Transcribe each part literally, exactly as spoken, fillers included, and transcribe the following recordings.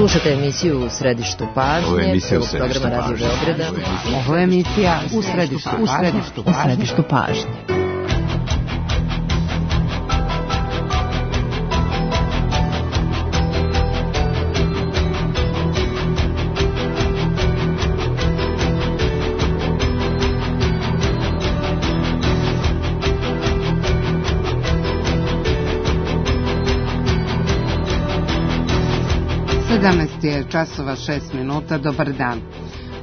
Slušate emisiju U središtu pažnje, prvog programa Radio Beograda. Ovo je emisija U središtu pažnje. U središtu pažnje. sedamnaest je časova šest minuta, dobar dan.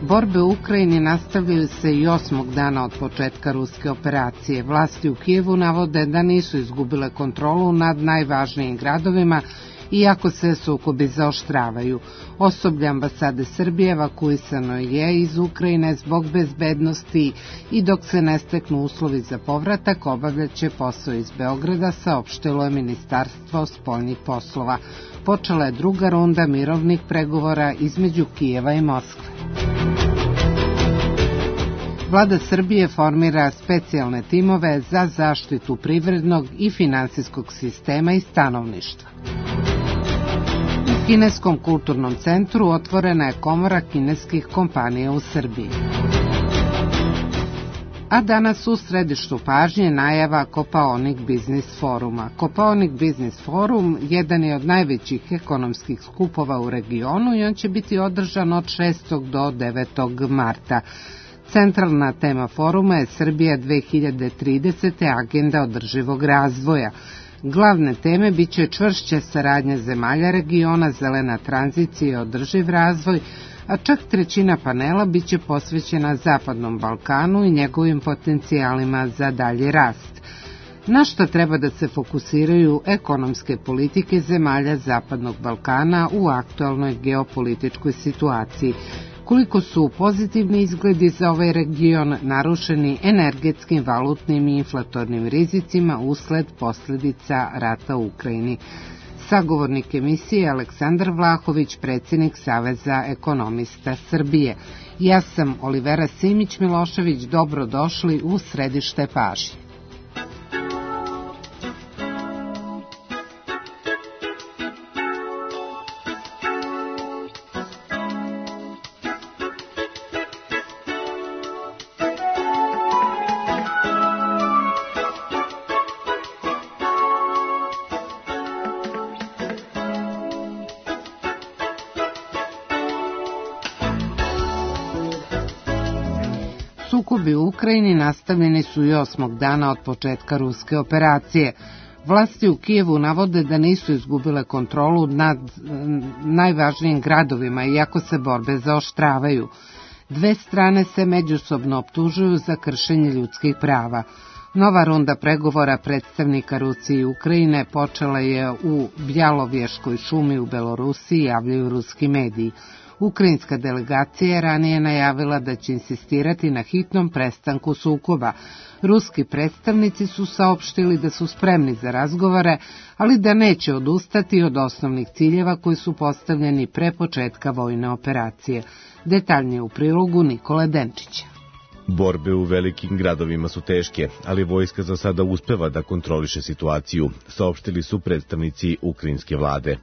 Borbe u Ukrajini nastavljaju se i osmog dana od početka ruske operacije. Vlasti u Kijevu navode da nisu izgubile kontrolu nad najvažnijim gradovima, iako se sukobi zaoštravaju. Osoblje ambasade Srbije evakuisano je iz Ukrajine zbog bezbednosti i dok se ne steknu uslovi za povratak, obavljaće posao iz Beograda, saopštilo je Ministarstvo spoljnih poslova. Počela je druga runda mirovnih pregovora između Kijeva i Moskve. Vlada Srbije formira specijalne timove za zaštitu privrednog i finansijskog sistema i stanovništva. U Kineskom kulturnom centru otvorena je komora kineskih kompanija u Srbiji. A danas u središtu pažnje najava Kopaonik Biznis foruma. Kopaonik Biznis forum jedan je od najvećih ekonomskih skupova u regionu i on će biti održan od šestog do devetog marta. Centralna tema foruma je Srbija dve hiljade tridesete. agenda održivog razvoja. Glavne teme biće čvršća saradnja zemalja regiona, zelena tranzicija i održiv razvoj, a čak trećina panela biće posvećena Zapadnom Balkanu i njegovim potencijalima za dalji rast. Na što treba da se fokusiraju ekonomske politike zemalja Zapadnog Balkana u aktualnoj geopolitičkoj situaciji, koliko su pozitivni izgledi za ovaj region narušeni energetskim, valutnim i inflatornim rizicima usled posljedica rata u Ukrajini. Sagovornik emisije Aleksandar Vlahović, predsjednik Saveza ekonomista Srbije. Ja sam Olivera Simić-Milošević, dobrodošli u središte pažnje. Sukobi u Ukrajini nastavljeni su i osmog dana od početka ruske operacije. Vlasti u Kijevu navode da nisu izgubile kontrolu nad najvažnijim gradovima, iako se borbe zaoštravaju. Dve strane se međusobno optužuju za kršenje ljudskih prava. Nova runda pregovora predstavnika Rusije i Ukrajine počela je u Bjalovješkoj šumi u Belorusiji, javljaju ruski mediji. Ukrajinska delegacija je ranije najavila da će insistirati na hitnom prestanku sukoba. Ruski predstavnici su saopštili da su spremni za razgovore, ali da neće odustati od osnovnih ciljeva koji su postavljeni pre početka vojne operacije. Detaljnije u prilogu Nikole Denčića. Borbe u velikim gradovima su teške, ali vojska za sada uspeva da kontroliše situaciju, saopštili su predstavnici ukrajinske vlade.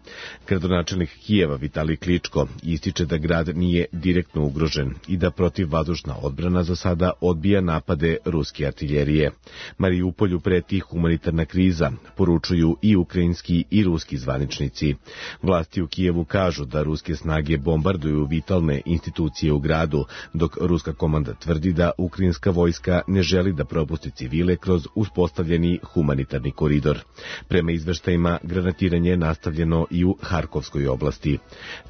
Gradonačelnik Kijeva Vitalij Kličko ističe da grad nije direktno ugrožen i da protivvazdušna odbrana za sada odbija napade ruske artiljerije. Mariupolju preti humanitarna kriza, poručuju i ukrajinski i ruski zvaničnici. Vlasti u Kijevu kažu da ruske snage bombarduju vitalne institucije u gradu, dok ruska komanda tvrdi da ukrajinska vojska ne želi da propusti civile kroz uspostavljeni humanitarni koridor. Prema izveštajima, granatiranje je nastavljeno i u Harkovskoj oblasti.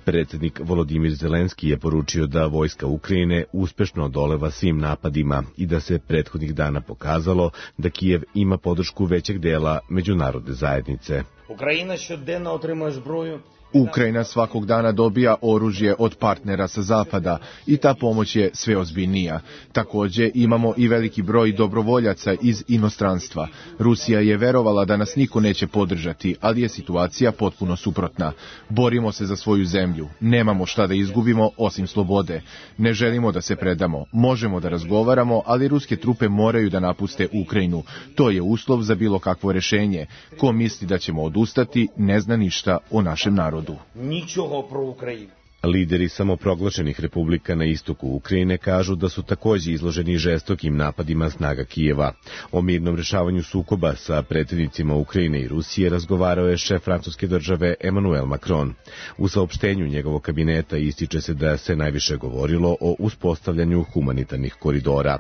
Predsjednik Volodimir Zelenski je poručio da vojska Ukrajine uspešno odoleva svim napadima i da se prethodnih dana pokazalo da Kijev ima podršku većeg dela međunarodne zajednice. Ukrajina щоденно отримує зброю. Ukrajina svakog dana dobija oružje od partnera sa zapada i ta pomoć je sve ozbiljnija. Također imamo i veliki broj dobrovoljaca iz inostranstva. Rusija je verovala da nas niko neće podržati, ali je situacija potpuno suprotna. Borimo se za svoju zemlju. Nemamo šta da izgubimo osim slobode. Ne želimo da se predamo. Možemo da razgovaramo, ali ruske trupe moraju da napuste Ukrajinu. To je uslov za bilo kakvo rešenje. Ko misli da ćemo odustati, ne zna ništa o našem narodu. narodu. Нічого про Україну. Lideri samoproglašenih republika na istoku Ukrajine kažu da su takođe izloženi žestokim napadima snaga Kijeva. O mirnom rešavanju sukoba sa predsjednicima Ukrajine i Rusije razgovarao je šef francuske države Emmanuel Macron. U saopštenju njegovog kabineta ističe se da se najviše govorilo o uspostavljanju humanitarnih koridora.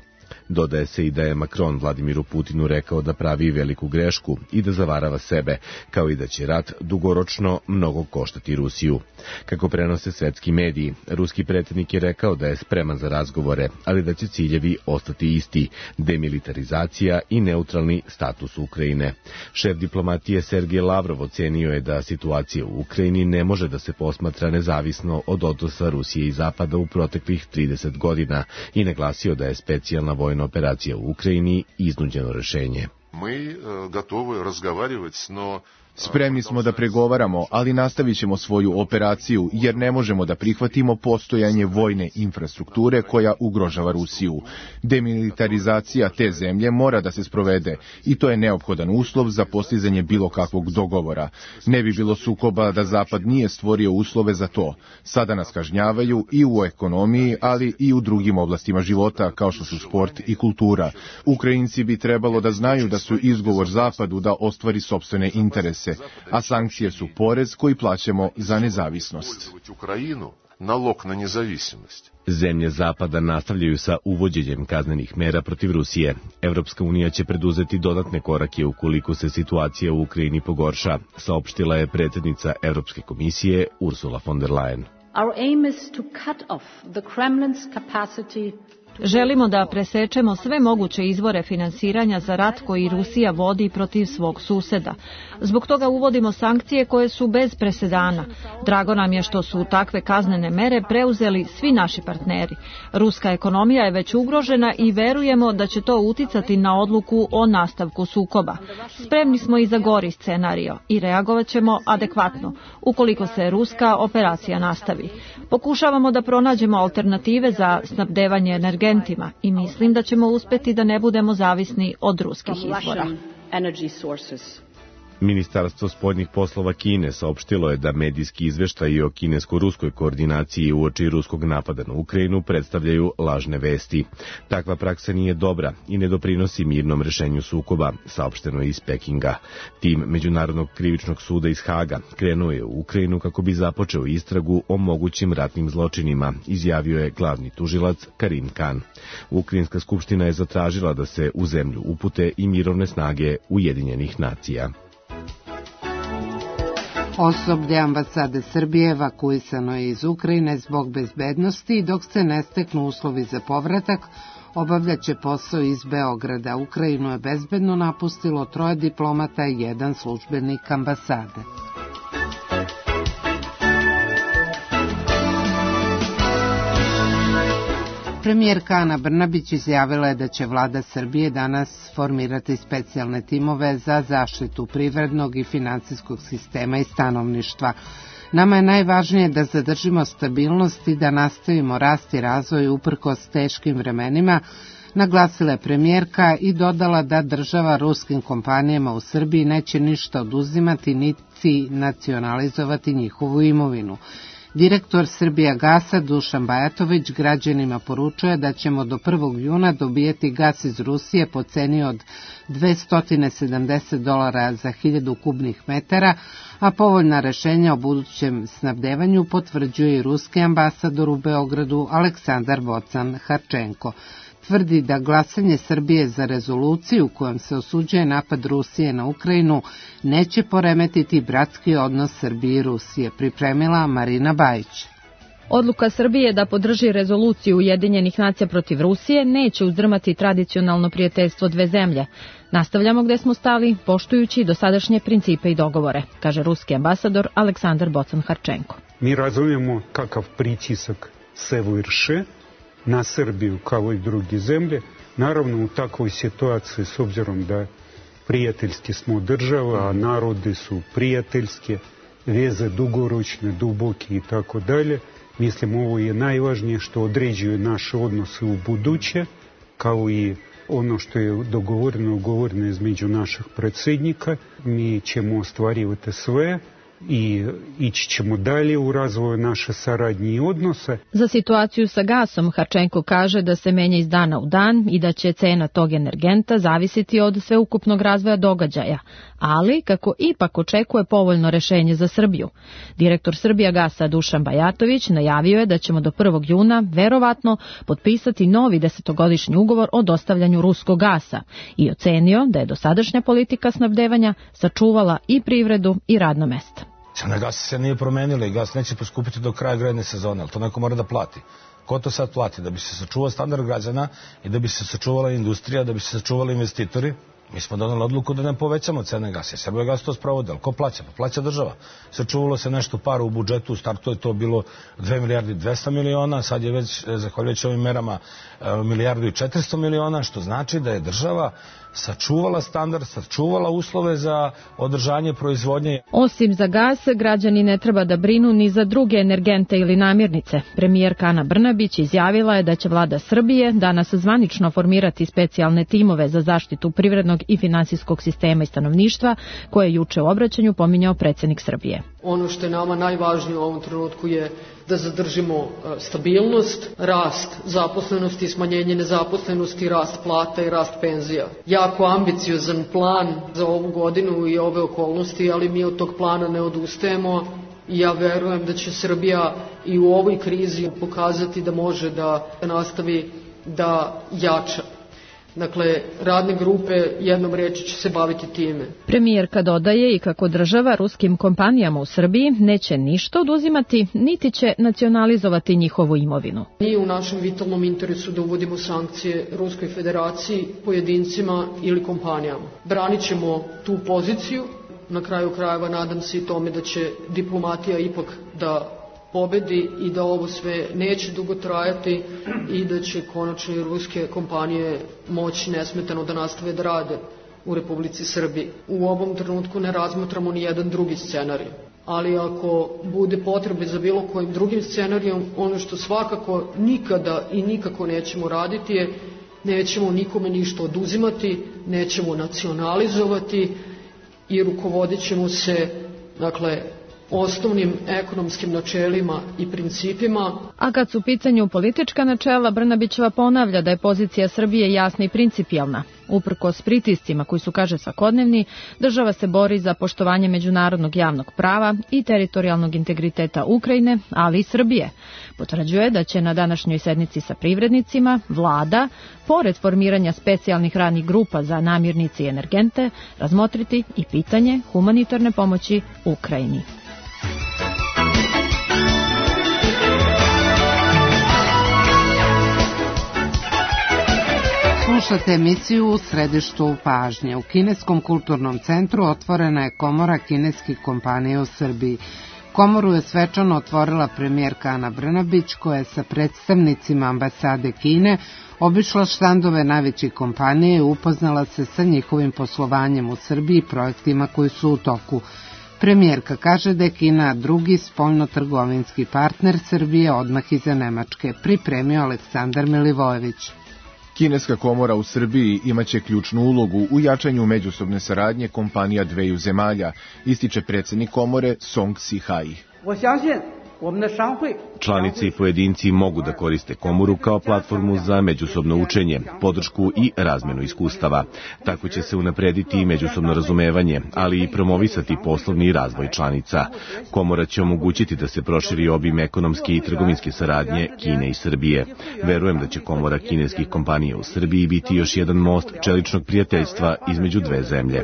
Dodaje se i da je Macron Vladimiru Putinu rekao da pravi veliku grešku i da zavarava sebe, kao i da će rat dugoročno mnogo koštati Rusiju. Kako prenose svetski mediji, ruski predsjednik je rekao da je spreman za razgovore, ali da će ciljevi ostati isti, demilitarizacija i neutralni status Ukrajine. Šef diplomatije Sergej Lavrov ocenio je da situacija u Ukrajini ne može da se posmatra nezavisno od odnosa Rusije i Zapada u proteklih trideset godina i naglasio da je specijalna vojna operacija u Ukrajini iznuđeno rešenje. Mi gotovi razgovarati, no Spremni smo da pregovaramo, ali nastavit ćemo svoju operaciju jer ne možemo da prihvatimo postojanje vojne infrastrukture koja ugrožava Rusiju. Demilitarizacija te zemlje mora da se sprovede i to je neophodan uslov za postizanje bilo kakvog dogovora. Ne bi bilo sukoba da Zapad nije stvorio uslove za to. Sada nas kažnjavaju i u ekonomiji, ali i u drugim oblastima života kao što su sport i kultura. Ukrajinci bi trebalo da znaju da su izgovor Zapadu da ostvari sopstvene interese, a sankcije su porez koji plaćamo za nezavisnost. Nalog na nezavisnost. Zemlje Zapada nastavljaju sa uvođenjem kaznenih mera protiv Rusije. Evropska unija će preduzeti dodatne korake ukoliko se situacija u Ukrajini pogorša, saopštila je predsjednica Evropske komisije Ursula von der Leyen. Our aim is to cut off the Kremlin's capacity. Želimo da presečemo sve moguće izvore finansiranja za rat koji Rusija vodi protiv svog suseda. Zbog toga uvodimo sankcije koje su bez presedana. Drago nam je što su takve kaznene mere preuzeli svi naši partneri. Ruska ekonomija je već ugrožena i verujemo da će to uticati na odluku o nastavku sukoba. Spremni smo i za gori scenario i reagovat ćemo adekvatno ukoliko se ruska operacija nastavi. Pokušavamo da pronađemo alternative za snabdevanje energentima i mislim da ćemo uspeti da ne budemo zavisni od ruskih izvora. Ministarstvo spoljnih poslova Kine saopštilo je da medijski izveštaji o kinesko-ruskoj koordinaciji uoči ruskog napada na Ukrajinu predstavljaju lažne vesti. Takva praksa nije dobra i ne doprinosi mirnom rešenju sukoba, saopšteno je iz Pekinga. Tim Međunarodnog krivičnog suda iz Haga krenuo je u Ukrajinu kako bi započeo istragu o mogućim ratnim zločinima, izjavio je glavni tužilac Karim Khan. Ukrajinska skupština je zatražila da se u zemlju upute i mirovne snage Ujedinjenih nacija. Osoblje ambasade Srbije evakuisano je iz Ukrajine zbog bezbednosti, dok se ne steknu uslovi za povratak, obavljaće posao iz Beograda. Ukrajinu je bezbedno napustilo troje diplomata i jedan službenik ambasade. Premijerka Ana Brnabić izjavila je da će vlada Srbije danas formirati specijalne timove za zaštitu privrednog i finansijskog sistema i stanovništva. Nama je najvažnije da zadržimo stabilnost i da nastavimo rast i razvoj uprkos teškim vremenima, naglasila je premijerka i dodala da država ruskim kompanijama u Srbiji neće ništa oduzimati niti nacionalizovati njihovu imovinu. Direktor Srbijagasa Dušan Bajatović građanima poručuje da ćemo do prvog juna dobijati gas iz Rusije po ceni od dvesta sedamdeset dolara za hiljadu kubnih metara, a povoljna rešenja o budućem snabdevanju potvrđuje i ruski ambasador u Beogradu Aleksandar Vocan Harčenko. Tvrdi da glasanje Srbije za rezoluciju kojom se osuđuje napad Rusije na Ukrajinu neće poremetiti bratski odnos Srbije i Rusije, pripremila Marina Bajić. Odluka Srbije da podrži rezoluciju Ujedinjenih nacija protiv Rusije neće uzdrmati tradicionalno prijateljstvo dve zemlje. Nastavljamo gde smo stali, poštujući dosadašnje principe i dogovore, kaže ruski ambasador Aleksandar Bocan Harčenko. Mi razumijemo kakav pritisak se vrši na Srbiju kao i druge zemlje. Naravno, u takvoj situaciji, s obzirom da prijateljski smo država, a narodi su prijateljske, veze dugoročne, duboke i tako dalje, mislim ovo je najvažnije što određuje naše odnose u buduće, kao i ono što je dogovoreno, ugovoreno između naših predsjednika. Mi ćemo ostvarivati sve i ići ćemo dalje u razvoju naše saradnje i odnose. Za situaciju sa gasom Harčenko kaže da se menja iz dana u dan i da će cena tog energenta zavisiti od sveukupnog razvoja događaja, ali kako ipak očekuje povoljno rešenje za Srbiju. Direktor Srbijagasa Dušan Bajatović najavio je da ćemo do prvog juna verovatno potpisati novi desetogodišnji ugovor o dostavljanju ruskog gasa i ocenio da je dosadašnja politika snabdevanja sačuvala i privredu i radna mesta. Cena gasa se nije promenila i gas neće poskupiti do kraja grejne sezone, ali to neko mora da plati. Ko to sad plati? Da bi se sačuvao standard građana i da bi se sačuvala industrija, da bi se sačuvali investitori. Mi smo donali odluku da ne povećamo cene gasa. Srbijagas to sprovode, ali ko plaća? Pa plaća država. Sačuvalo se nešto para u budžetu, u startu je to bilo dve milijarde dvesta miliona, sad je već, zahvaljujući ovim merama, milijardu i četiristo miliona, što znači da je država sačuvala standard, sačuvala uslove za održanje proizvodnje. Osim za gas, građani ne treba da brinu ni za druge energente ili namirnice. Premijerka Ana Brnabić izjavila je da će vlada Srbije danas zvanično formirati specijalne timove za zaštitu privrednog i finansijskog sistema i stanovništva, koje je juče u obraćanju pominjao predsjednik Srbije. Ono što je nama najvažnije u ovom trenutku je da zadržimo stabilnost, rast zaposlenosti i smanjenje nezaposlenosti, rast plata i rast penzija. Jako ambiciozan plan za ovu godinu i ove okolnosti, ali mi od tog plana ne odustajemo i ja verujem da će Srbija i u ovoj krizi pokazati da može da nastavi da jača. Dakle, radne grupe jednom reći će se baviti time. Premijerka dodaje i kako država ruskim kompanijama u Srbiji neće ništa oduzimati, niti će nacionalizovati njihovu imovinu. Nije u našem vitalnom interesu da uvodimo sankcije Ruskoj federaciji, pojedincima ili kompanijama. Branit ćemo tu poziciju, na kraju krajeva nadam se i tome da će diplomatija ipak da pobedi i da ovo sve neće dugo trajati i da će konačno i ruske kompanije moći nesmetano da nastave da rade u Republici Srbiji. U ovom trenutku ne razmatramo ni jedan drugi scenarij, ali ako bude potrebe za bilo kojim drugim scenarijom, ono što svakako nikada i nikako nećemo raditi je nećemo nikome ništa oduzimati, nećemo nacionalizovati i rukovodit ćemo se, dakle, osnovnim ekonomskim načelima i principima. A kad su u pitanju politička načela, Brnabićeva ponavlja da je pozicija Srbije jasna i principijelna. Uprkos pritiscima koji su, kaže, svakodnevni, država se bori za poštovanje međunarodnog javnog prava i teritorijalnog integriteta Ukrajine, ali i Srbije. Potvrđuje da će na današnjoj sednici sa privrednicima vlada, pored formiranja specijalnih radnih grupa za namirnice i energente, razmotriti i pitanje humanitarne pomoći Ukrajini. Slušate emisiju U središtu pažnje. U Kineskom kulturnom centru otvorena je komora kineskih kompanija u Srbiji. Komoru je svečano otvorila premijerka Ana Brnabić, koja je sa predstavnicima ambasade Kine obišla štandove najvećih kompanije i upoznala se sa njihovim poslovanjem u Srbiji i projektima koji su u toku. Premijerka kaže da je Kina drugi spoljno-trgovinski partner Srbije odmah iza Nemačke, pripremio Aleksandar Milivojević. Kineska komora u Srbiji imaće ključnu ulogu u jačanju međusobne saradnje kompanija dveju zemalja, ističe predsjednik komore Song Si-hai. Članice i pojedinci mogu da koriste komoru kao platformu za međusobno učenje, podršku i razmenu iskustava. Tako će se unaprediti i međusobno razumevanje, ali i promovisati poslovni razvoj članica. Komora će omogućiti da se proširi obim ekonomske i trgovinske saradnje Kine i Srbije. Verujem da će komora kineskih kompanija u Srbiji biti još jedan most čeličnog prijateljstva između dve zemlje.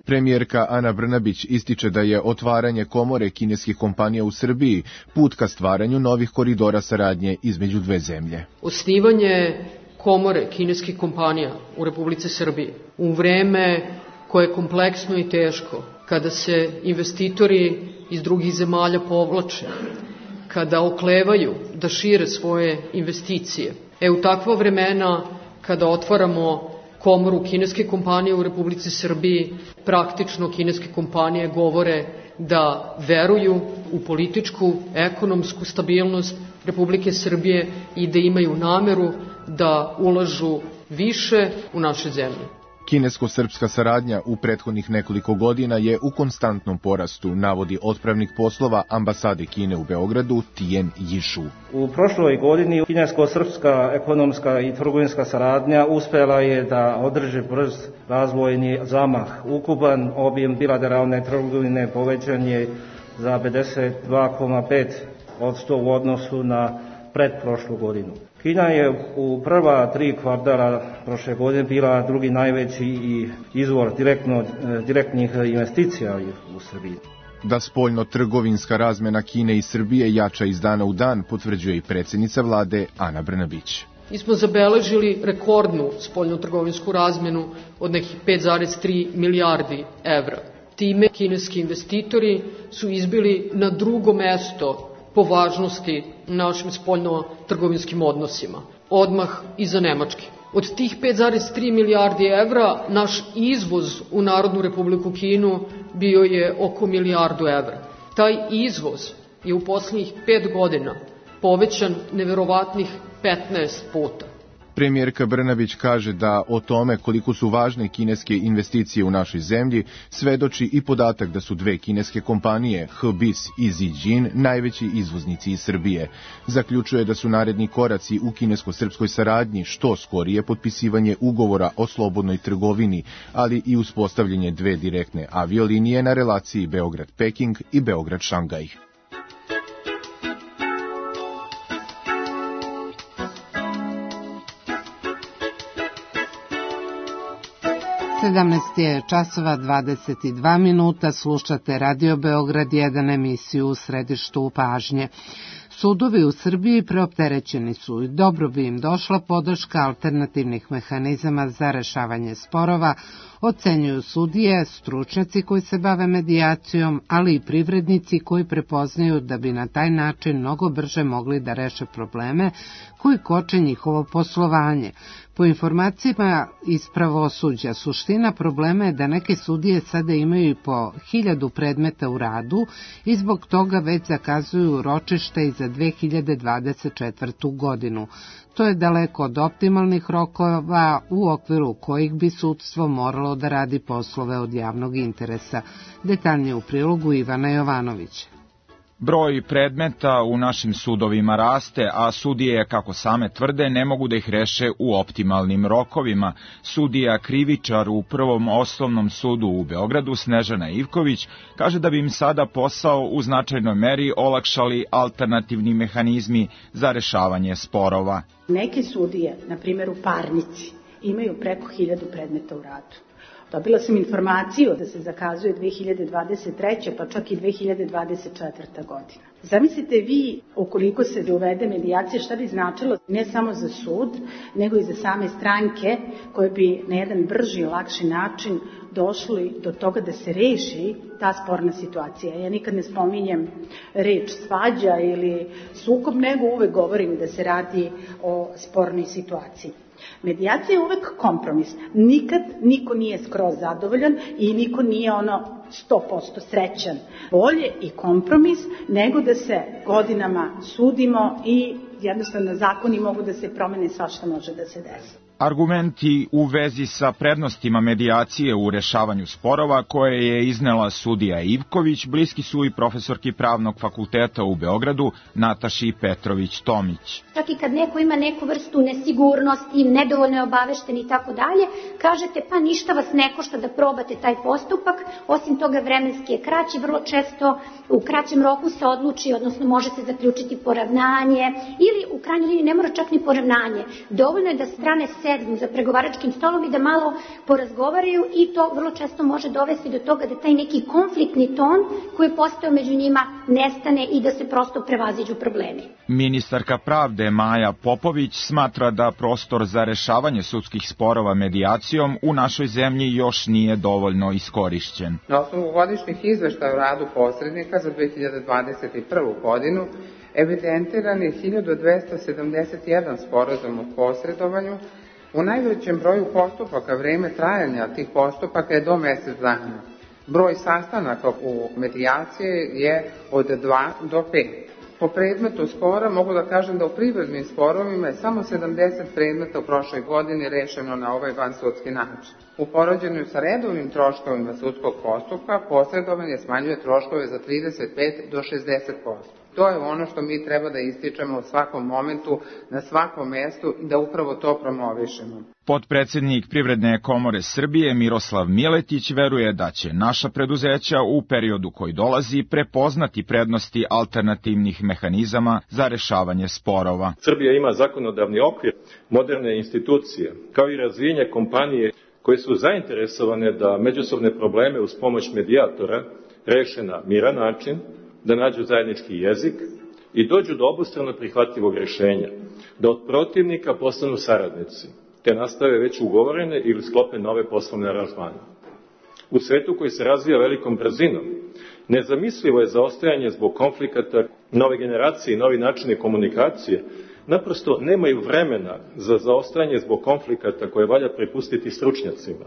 Premijerka Ana Brnabić ističe da je otvaranje komore kineskih kompanija u Srbiji put ka stvaranju novih koridora saradnje između dve zemlje. Osnivanje komore kineskih kompanija u Republici Srbiji u vreme koje je kompleksno i teško, kada se investitori iz drugih zemalja povlače, kada oklevaju da šire svoje investicije. E u takva vremena, kada otvaramo komoru kineske kompanije u Republici Srbiji, praktično kineske kompanije govore da veruju u političku, ekonomsku stabilnost Republike Srbije i da imaju nameru da ulažu više u naše zemlje. Kinesko-srpska saradnja u prethodnih nekoliko godina je u konstantnom porastu, navodi otpravnik poslova ambasade Kine u Beogradu Tijen Jišu. U prošloj godini kinesko-srpska ekonomska i trgovinska saradnja uspela je da održi brz razvojni zamah. Ukupan objem bilateralne trgovine povećan je za pedeset dva zarez pet posto u odnosu na pretprošlu godinu. Kina je u prva tri kvartala prošle godine bila drugi najveći i izvor direktno, direktnih investicija u Srbiji. Da spoljno-trgovinska razmena Kine i Srbije jača iz dana u dan, potvrđuje i predsjednica vlade Ana Brnabić. Mi smo zabeležili rekordnu spoljno-trgovinsku razmenu od nekih pet zarez tri milijardi evra. Time kineski investitori su izbili na drugo mesto po važnosti našim spoljno-trgovinskim odnosima, odmah iza Nemačke. Od tih pet zarez tri milijardi evra, naš izvoz u Narodnu Republiku Kinu bio je oko milijardu evra. Taj izvoz je u poslednjih pet godina povećan neverovatnih petnaest puta. Premijerka Brnabić kaže da o tome koliko su važne kineske investicije u našoj zemlji svedoči i podatak da su dve kineske kompanije, H B I S i Zijin, najveći izvoznici iz Srbije. Zaključuje da su naredni koraci u kinesko-srpskoj saradnji što skorije potpisivanje ugovora o slobodnoj trgovini, ali i uspostavljanje dve direktne aviolinije na relaciji Beograd-Peking i Beograd-Šangaj. sedamnaest je časova dvadeset dva minuta, slušate Radio Beograd jedan, emisiju u središtu pažnje. Sudovi u Srbiji preopterećeni su i dobro bi im došla podrška alternativnih mehanizama za rešavanje sporova, ocenjuju sudije, stručnjaci koji se bave medijacijom, ali i privrednici koji prepoznaju da bi na taj način mnogo brže mogli da reše probleme koji koče njihovo poslovanje. Po informacijama iz pravosuđa, suština problema je da neke sudije sada imaju i po hiljadu predmeta u radu i zbog toga već zakazuju ročište i za dve hiljade dvadeset četvrtu. godinu. To je daleko od optimalnih rokova u okviru kojih bi sudstvo moralo da radi poslove od javnog interesa. Detaljnije u prilogu Ivana Jovanovića. Broj predmeta u našim sudovima raste, a sudije, kako same tvrde, ne mogu da ih reše u optimalnim rokovima. Sudija krivičar u Prvom osnovnom sudu u Beogradu, Snežana Ivković, kaže da bi im sada posao u značajnoj meri olakšali alternativni mehanizmi za rešavanje sporova. Neke sudije, na primjer u parnici, imaju preko hiljadu predmeta u radu. Dobila sam informaciju da se zakazuje dve hiljade dvadeset treće. pa čak i dve hiljade dvadeset četvrta. godina. Zamislite vi, ukoliko se uvede medijacija, šta bi značilo ne samo za sud, nego i za same stranke koje bi na jedan brži i lakši način došli do toga da se reši ta sporna situacija. Ja nikad ne spominjem reč svađa ili sukob, nego uvek govorim da se radi o spornoj situaciji. Medijacija je uvek kompromis. Nikad niko nije skroz zadovoljan i niko nije ono sto posto srećan. Bolje i kompromis nego da se godinama sudimo i jednostavno zakoni mogu da se promene, svašta može da se desi. Argumenti u vezi sa prednostima medijacije u rešavanju sporova koje je iznela sudija Ivković bliski su i profesorki Pravnog fakulteta u Beogradu Nataši Petrović-Tomić. Čak i kad neko ima neku vrstu nesigurnosti, nedovoljno je obavešten i tako dalje, kažete pa ništa vas ne košta da probate taj postupak, osim toga vremenski je kraći, vrlo često u kraćem roku se odluči, odnosno može se zaključiti poravnanje ili u krajnjoj liniji ne mora čak ni poravnanje. Dovoljno je da strane sednu za pregovaračkim stolom i da malo porazgovaraju i to vrlo često može dovesti do toga da taj neki konfliktni ton koji je postao među njima nestane i da se prosto prevaziđu problemi. Ministarka pravde Maja Popović smatra da prostor za rešavanje sudskih sporova medijacijom u našoj zemlji još nije dovoljno iskorišćen. Na osnovu godišnjih izveštaja o radu posrednika za dve hiljade dvadeset prvu. godinu evidentiran je hiljadu dvesta sedamdeset jedan sporazum o posredovanju. U najvećem broju postupaka vreme trajanja tih postupaka je do mesec dana. Broj sastanaka u medijaciji je od dva do pet. Po predmetu spora mogu da kažem da u privrednim sporovima je samo sedamdeset predmeta u prošloj godini rešeno na ovaj vansudski način. U poređenju sa redovnim troškovima sudskog postupka posredovanje smanjuje troškove za trideset pet do šezdeset posto. To je ono što mi treba da ističemo u svakom momentu, na svakom mestu i da upravo to promovišemo. Potpredsednik Privredne komore Srbije Miroslav Miletić veruje da će naša preduzeća u periodu koji dolazi prepoznati prednosti alternativnih mehanizama za rešavanje sporova. Srbija ima zakonodavni okvir, moderne institucije, kao i razvijenje kompanije koje su zainteresovane da međusobne probleme uz pomoć medijatora reše na miran način, da nađu zajednički jezik i dođu do obostrano prihvatljivog rešenja, da od protivnika postanu saradnici, te nastave već ugovorene ili sklope nove poslovne aranžmane. U svetu koji se razvija velikom brzinom, nezamislivo je zaostajanje zbog konflikata. Nove generacije i novi načine komunikacije naprosto nemaju vremena za zaostajanje zbog konflikata koje valja prepustiti stručnjacima.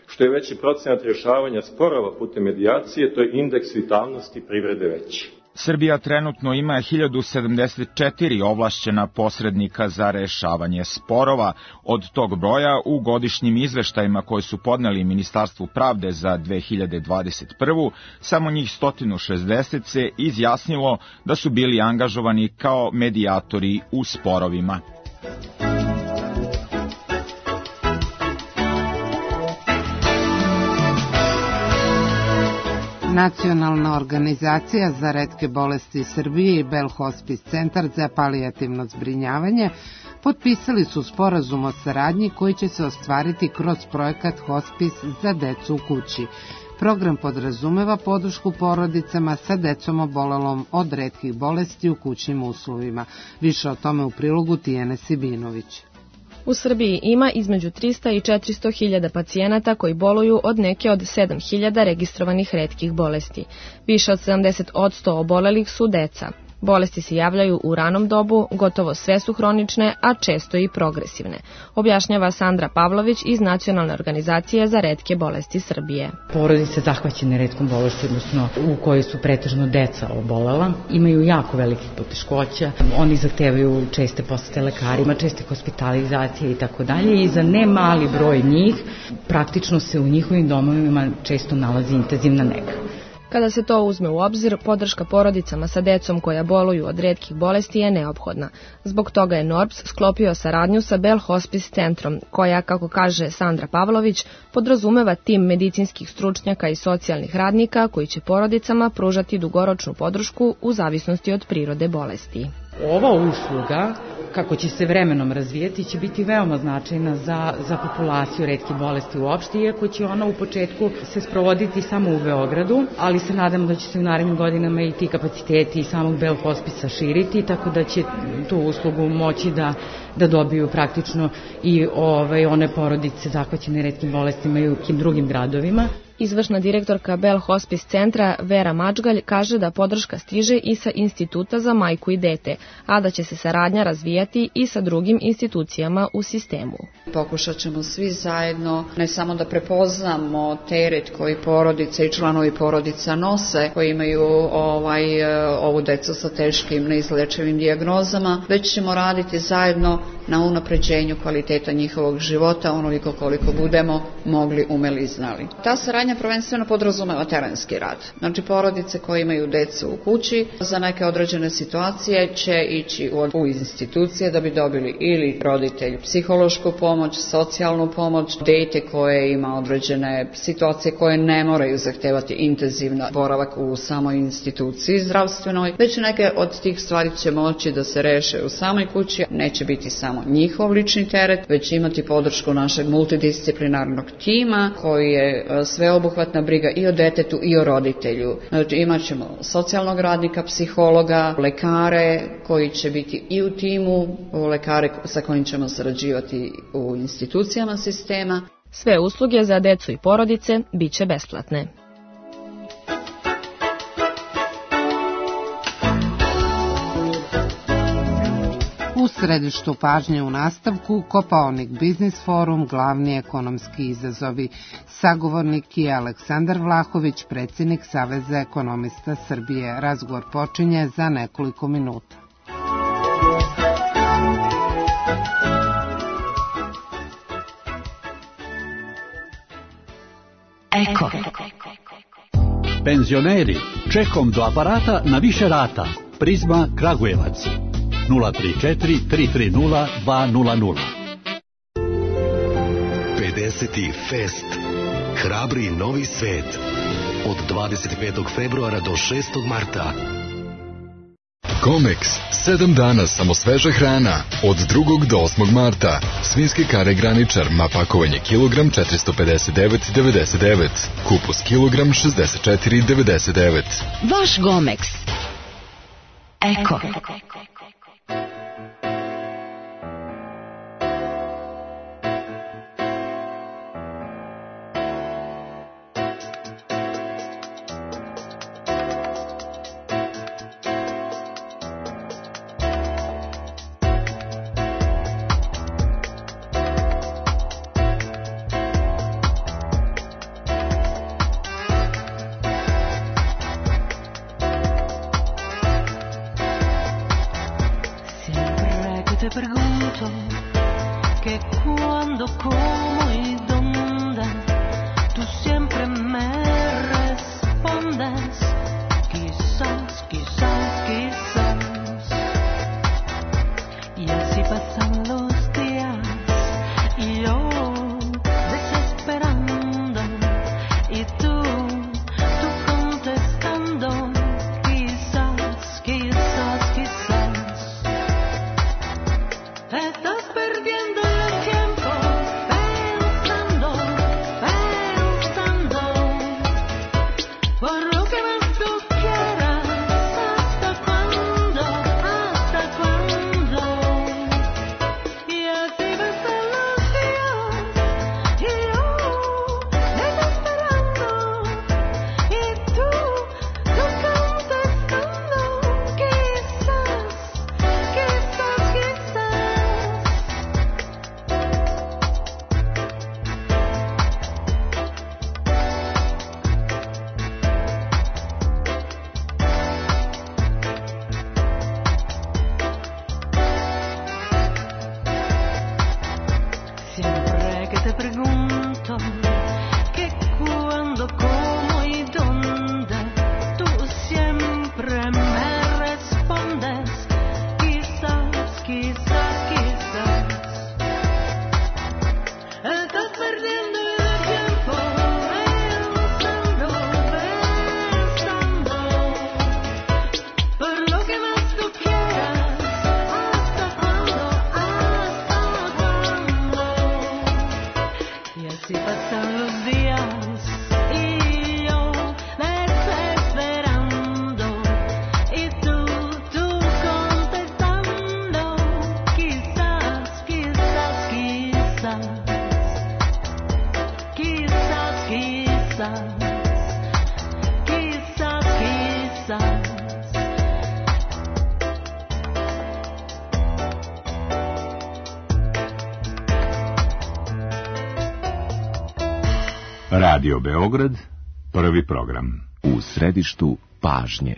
Što je veći procenat rješavanja sporova putem medijacije, to je indeks vitalnosti privrede veći. Srbija trenutno ima hiljadu sedamdeset četiri ovlašćena posrednika za rešavanje sporova. Od tog broja u godišnjim izveštajima koje su podneli Ministarstvu pravde za dve hiljade dvadeset prvu. samo njih sto šezdeset se izjasnilo da su bili angažovani kao medijatori u sporovima. Nacionalna organizacija za retke bolesti Srbije i Bell Hospice centar za palijativno zbrinjavanje potpisali su sporazum o saradnji koji će se ostvariti kroz projekat Hospice za decu u kući. Program podrazumeva podršku porodicama sa decom obolelom od retkih bolesti u kućnim uslovima. Više o tome u prilogu Tijane Sibinović. U Srbiji ima između trista i četiristo hiljada pacijenata koji boluju od neke od sedam hiljada registrovanih retkih bolesti. Više od sedamdeset posto obolelih su deca. Bolesti se javljaju u ranom dobu, gotovo sve su hronične, a često i progresivne, objašnjava Sandra Pavlović iz Nacionalne organizacije za retke bolesti Srbije. Porodice zahvaćene retkom bolesti, odnosno u kojoj su pretežno deca obolela, imaju jako velikih poteškoća. Oni zahtevaju česte posete lekarima, česte hospitalizacije i tako dalje i za ne mali broj njih praktično se u njihovim domovima često nalazi intenzivna nega. Kada se to uzme u obzir, podrška porodicama sa decom koja boluju od retkih bolesti je neophodna. Zbog toga je NORBS sklopio saradnju sa Bell Hospice centrom, koja, kako kaže Sandra Pavlović, podrazumeva tim medicinskih stručnjaka i socijalnih radnika koji će porodicama pružati dugoročnu podršku u zavisnosti od prirode bolesti. Ova usluga, kako će se vremenom razvijeti, će biti veoma značajna za, za populaciju retkih bolesti uopšte, iako će ona u početku se sprovoditi samo u Beogradu, ali se nadamo da će se u narednim godinama i ti kapaciteti i samog Bell Hospice širiti, tako da će tu uslugu moći da, da dobiju praktično i ovaj, one porodice zahvaćene retkim bolestima i u kim drugim gradovima. Izvršna direktorka Bell Hospice centra Vera Mačgalj kaže da podrška stiže i sa Instituta za majku i dete, a da će se saradnja razvijati i sa drugim institucijama u sistemu. Pokušat ćemo svi zajedno ne samo da prepoznamo teret koji porodice i članovi porodica nose, koji imaju ovaj, ovu decu sa teškim neizlečivim dijagnozama, već ćemo raditi zajedno na unapređenju kvaliteta njihovog života onoliko koliko budemo mogli, umeli i znali. Ta saradnja prvenstveno podrazumeva terenski rad. Znači porodice koje imaju decu u kući za neke određene situacije će ići u institucije da bi dobili ili roditelj psihološku pomoć, socijalnu pomoć, dete koje ima određene situacije koje ne moraju zahtevati intenzivno boravak u samoj instituciji zdravstvenoj, već neke od tih stvari će moći da se reše u samoj kući, neće biti samo njihov lični teret, već imati podršku našeg multidisciplinarnog tima koji je sveobuhvatna briga i o detetu i o roditelju. Znači imat ćemo socijalnog radnika, psihologa, lekare koji će biti i u timu, lekare sa kojim ćemo sarađivati u institucijama sistema. Sve usluge za decu i porodice bit će besplatne. U U središtu pažnje u nastavku Kopaonik Biznis Forum, glavni ekonomski izazovi. Sagovornik je Aleksandar Vlahović, predsjednik Saveza ekonomista Srbije. Razgovor počinje za nekoliko minuta. Eko. Penzioneri, čekom do aparata na više rata. Prizma Kragujevac. nula tri četiri tri tri nula dva nula nula. pedeseti Fest. Hrabri novi svet. Od dvadeset petog februara do šestog marta. Comex, sedam dana samo sveža hrana, od drugog do osmog marta. Svinjske kare graničar, ma pakovanje kilogram četiristo pedeset devet devedeset devet, kupus kilogram šezdeset četiri devedeset devet. Vaš Gomex. Eko. Radio Beograd, prvi program. U središtu pažnje.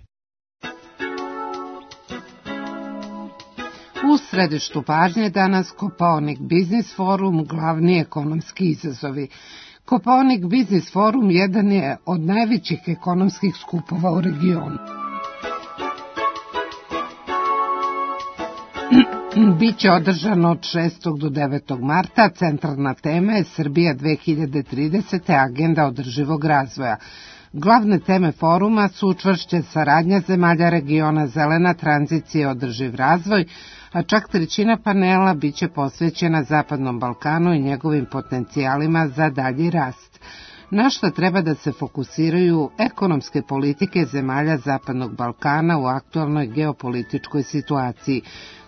U središtu pažnje danas Kopaonik Biznis Forum, glavni ekonomski izazovi. Kopaonik Biznis Forum jedan je od najvećih ekonomskih skupova u regionu. Biće održano od šestog do devetog marta. Centralna tema je Srbija dve hiljade tridesete. agenda održivog razvoja. Glavne teme foruma su čvršća saradnja zemalja regiona, zelena tranzicija i održiv razvoj, a čak trećina panela biće posvećena Zapadnom Balkanu i njegovim potencijalima za dalji rast. Na što treba da se fokusiraju ekonomske politike zemalja Zapadnog Balkana u aktualnoj geopolitičkoj situaciji,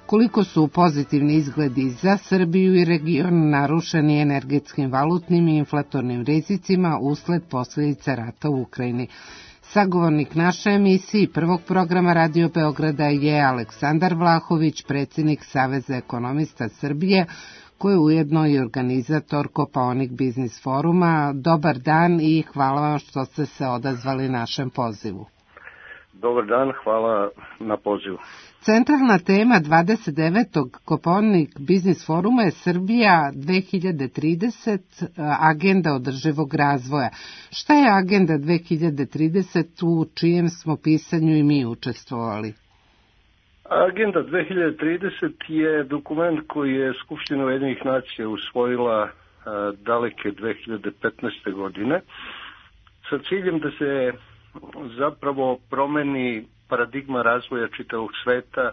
koliko su pozitivni izgledi za Srbiju i region narušeni energetskim, valutnim i inflatornim rizicima usled posljedica rata u Ukrajini. Sagovornik naše emisije prvog programa Radio Beograda je Aleksandar Vlahović, predsjednik Saveza ekonomista Srbije, koji je ujedno i organizator Kopaonik biznis foruma. Dobar dan i hvala vam što ste se odazvali našem pozivu. Dobar dan, hvala na pozivu. Centralna tema dvadeset devetog Kopaonik biznis foruma je Srbija dve hiljade trideset, agenda održivog razvoja. Šta je agenda dve hiljade trideset u čijem smo pisanju i mi učestvovali? Agenda dve hiljade trideset je dokument koji je Skupština Ujedinjenih nacija usvojila a, daleke dve hiljade petnaeste. godine sa ciljem da se zapravo promeni paradigma razvoja čitavog sveta,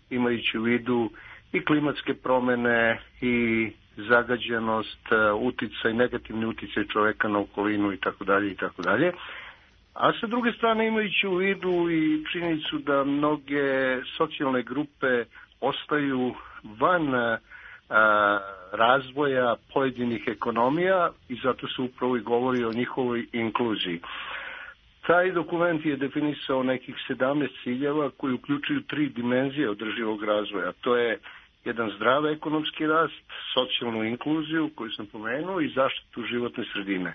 imajući u vidu i klimatske promene i zagađenost, uticaj, negativni uticaj čoveka na okolinu i tako dalje i tako dalje. A sa druge strane imajući u vidu i činjenicu da mnoge socijalne grupe ostaju van a, razvoja pojedinih ekonomija i zato se upravo i govori o njihovoj inkluziji. Taj dokument je definisao nekih sedamnaest ciljeva koji uključuju tri dimenzije održivog razvoja. To je jedan zdrav ekonomski rast, socijalnu inkluziju koju sam pomenuo i zaštitu životne sredine.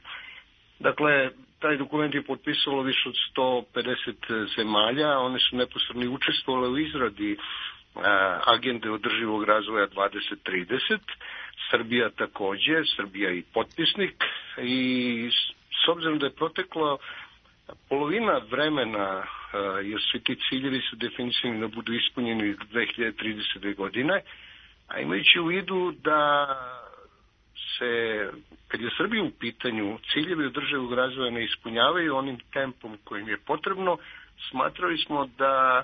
Dakle, taj dokument je potpisalo više od sto pedeset zemalja, one su neposredno učestvovale u izradi a, agende održivog razvoja dvadeset trideset. Srbija takođe, Srbija i potpisnik i s obzirom da je proteklo polovina vremena, jer svi ti ciljevi su definisani da budu ispunjeni dve hiljade tridesete. godine, a imajući u vidu da se, kad je Srbija u pitanju, ciljevi održivog razvoja ne ispunjavaju onim tempom kojim je potrebno, smatrali smo da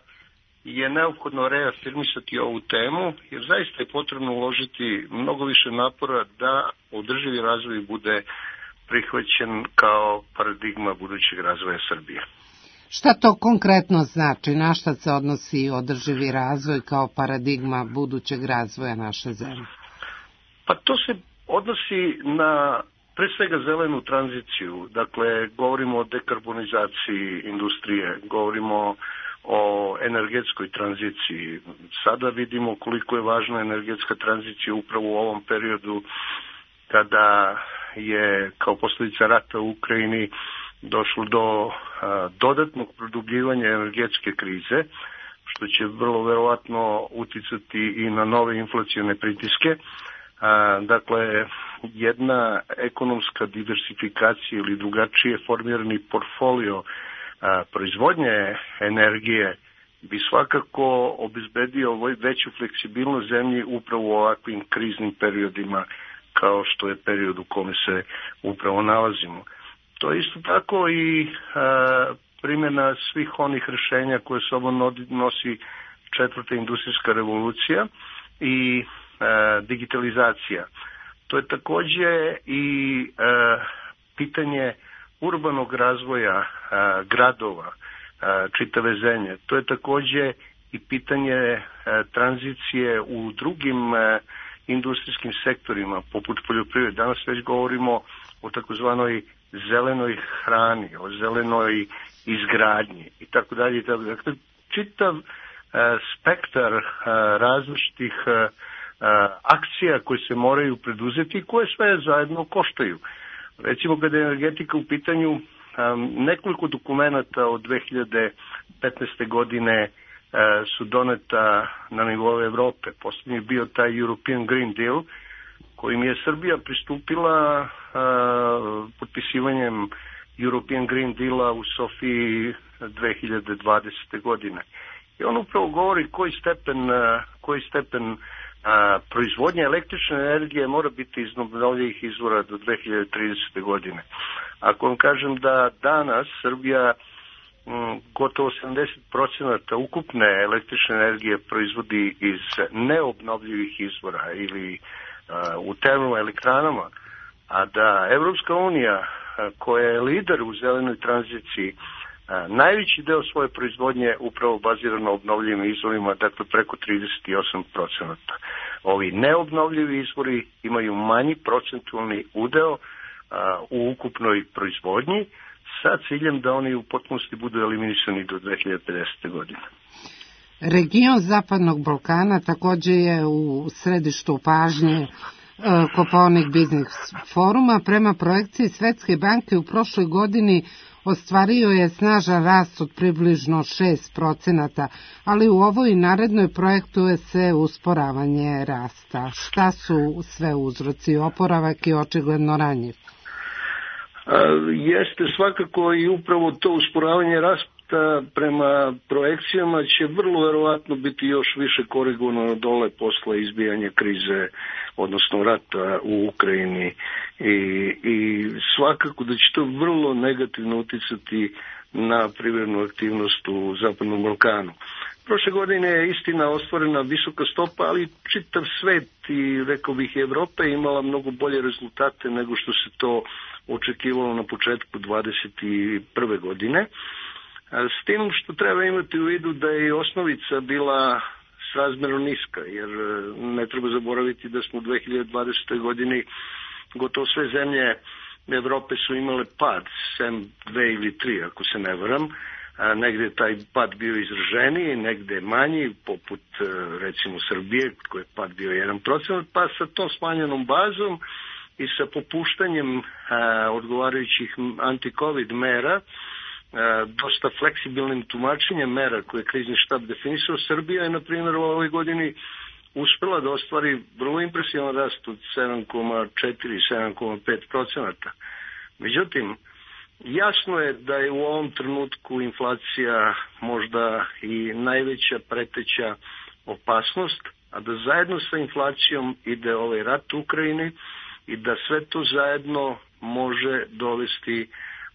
je neophodno reafirmisati ovu temu, jer zaista je potrebno uložiti mnogo više napora da održivi razvoj bude prihvaćen kao paradigma budućeg razvoja Srbije. Šta to konkretno znači? Na šta se odnosi održivi razvoj kao paradigma budućeg razvoja naše zemlje? Pa to se odnosi na pre svega zelenu tranziciju. Dakle, govorimo o dekarbonizaciji industrije, govorimo o energetskoj tranziciji. Sada vidimo koliko je važna energetska tranzicija upravo u ovom periodu kada je kao posljedica rata u Ukrajini došlo do a, dodatnog produbljivanja energetske krize, što će vrlo verovatno uticati i na nove inflacione pritiske. A, dakle, jedna ekonomska diversifikacija ili drugačije formirani portfolio a, proizvodnje energije bi svakako obezbedio veću fleksibilnost zemlji upravo u ovakvim kriznim periodima kao što je period u kome se upravo nalazimo. To je isto tako i a, primjena svih onih rješenja koje sobom nosi četvrta industrijska revolucija i a, digitalizacija. To je takođe i a, pitanje urbanog razvoja a, gradova, a, čitave zemlje. To je takođe i pitanje a, tranzicije u drugim a, industrijskim sektorima, poput poljoprivrede. Danas već govorimo o takozvanoj zelenoj hrani, o zelenoj izgradnji i tako dalje. Dakle, čitav uh, spektar uh, različitih uh, akcija koje se moraju preduzeti i koje sve zajedno koštaju. Recimo, kada je energetika u pitanju, um, nekoliko dokumenta od dve hiljade petnaeste. godine su doneta na nivou Evrope. Posljednji je bio taj European Green Deal, kojim je Srbija pristupila a, potpisivanjem European Green Deala u Sofiji dve hiljade dvadesete. godine. I on upravo govori koji stepen, a, koji stepen a, proizvodnje električne energije mora biti iz obnovljivih izvora do dve hiljade tridesete. godine. Ako vam kažem da danas Srbija gotovo sedamdeset procenata ukupne električne energije proizvodi iz neobnovljivih izvora ili uh, u termoelektranama, a da Evropska unija, uh, koja je lider u zelenoj tranziciji, uh, najveći deo svoje proizvodnje upravo bazira na obnovljivim izvorima, dakle preko trideset osam procenata. Ovi neobnovljivi izvori imaju manji procentualni udeo uh, u ukupnoj proizvodnji, sa ciljem da oni u potpunosti budu eliminisani do dve hiljade pedesete. godine. Region Zapadnog Balkana također je u središtu pažnje Kopaonik Biznis foruma. Prema projekciji Svetske banke u prošloj godini ostvario je snažan rast od približno šest procenata, ali u ovoj narednoj projektuje se usporavanje rasta. Šta su sve uzroci? Oporavak je očigledno ranjiv. Jeste svakako i upravo to usporavanje rasta prema projekcijama će vrlo verovatno biti još više korigovano dole posle izbijanja krize, odnosno rata u Ukrajini i, i svakako da će to vrlo negativno uticati na privrednu aktivnost u Zapadnom Balkanu. Prošle godine je istina ostvarena visoka stopa, ali čitav svet i rekao bih Evropa je imala mnogo bolje rezultate nego što se to očekivalo na početku dvadeset prve. godine. S tim što treba imati u vidu da je osnovica bila srazmjerno niska, jer ne treba zaboraviti da smo u dve hiljade dvadesetoj. godini gotovo sve zemlje Evrope su imale pad, sem dve ili tri, ako se ne varam. Negde je taj pad bio izraženiji, negde manji, poput recimo Srbije, koji je pad bio jedan procenat, pa sa tom smanjenom bazom i sa popuštanjem a, odgovarajućih anti-covid mera, a, dosta fleksibilnim tumačenjem mera koje je krizni štab definisao, Srbija je, na primjer, u ovoj godini uspela da ostvari vrlo impresivan rast od sedam zarez četiri do sedam zarez pet procenata. Međutim, jasno je da je u ovom trenutku inflacija možda i najveća preteća opasnost, a da zajedno sa inflacijom ide ovaj rat u Ukrajini i da sve to zajedno može dovesti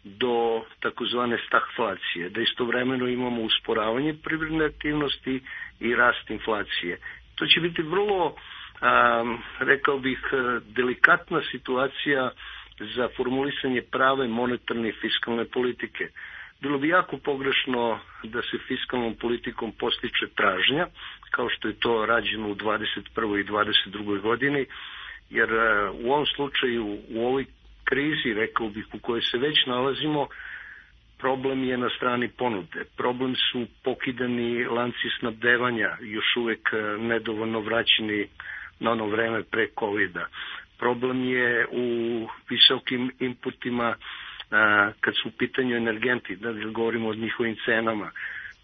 do takozvane stagflacije, da istovremeno imamo usporavanje privredne aktivnosti i rast inflacije. To će biti vrlo, um, rekao bih, delikatna situacija za formulisanje prave monetarne i fiskalne politike. Bilo bi jako pogrešno da se fiskalnom politikom postiče tražnja, kao što je to rađeno u dvadeset prvoj i dvadeset drugoj. godini, jer u ovom slučaju, u ovoj krizi, rekao bih, u kojoj se već nalazimo, problem je na strani ponude. Problem su pokidani lanci snabdevanja, još uvek nedovoljno vraćeni na ono vreme pre covida. Problem je u visokim inputima a, kad su u pitanju energenti, da govorimo o njihovim cenama.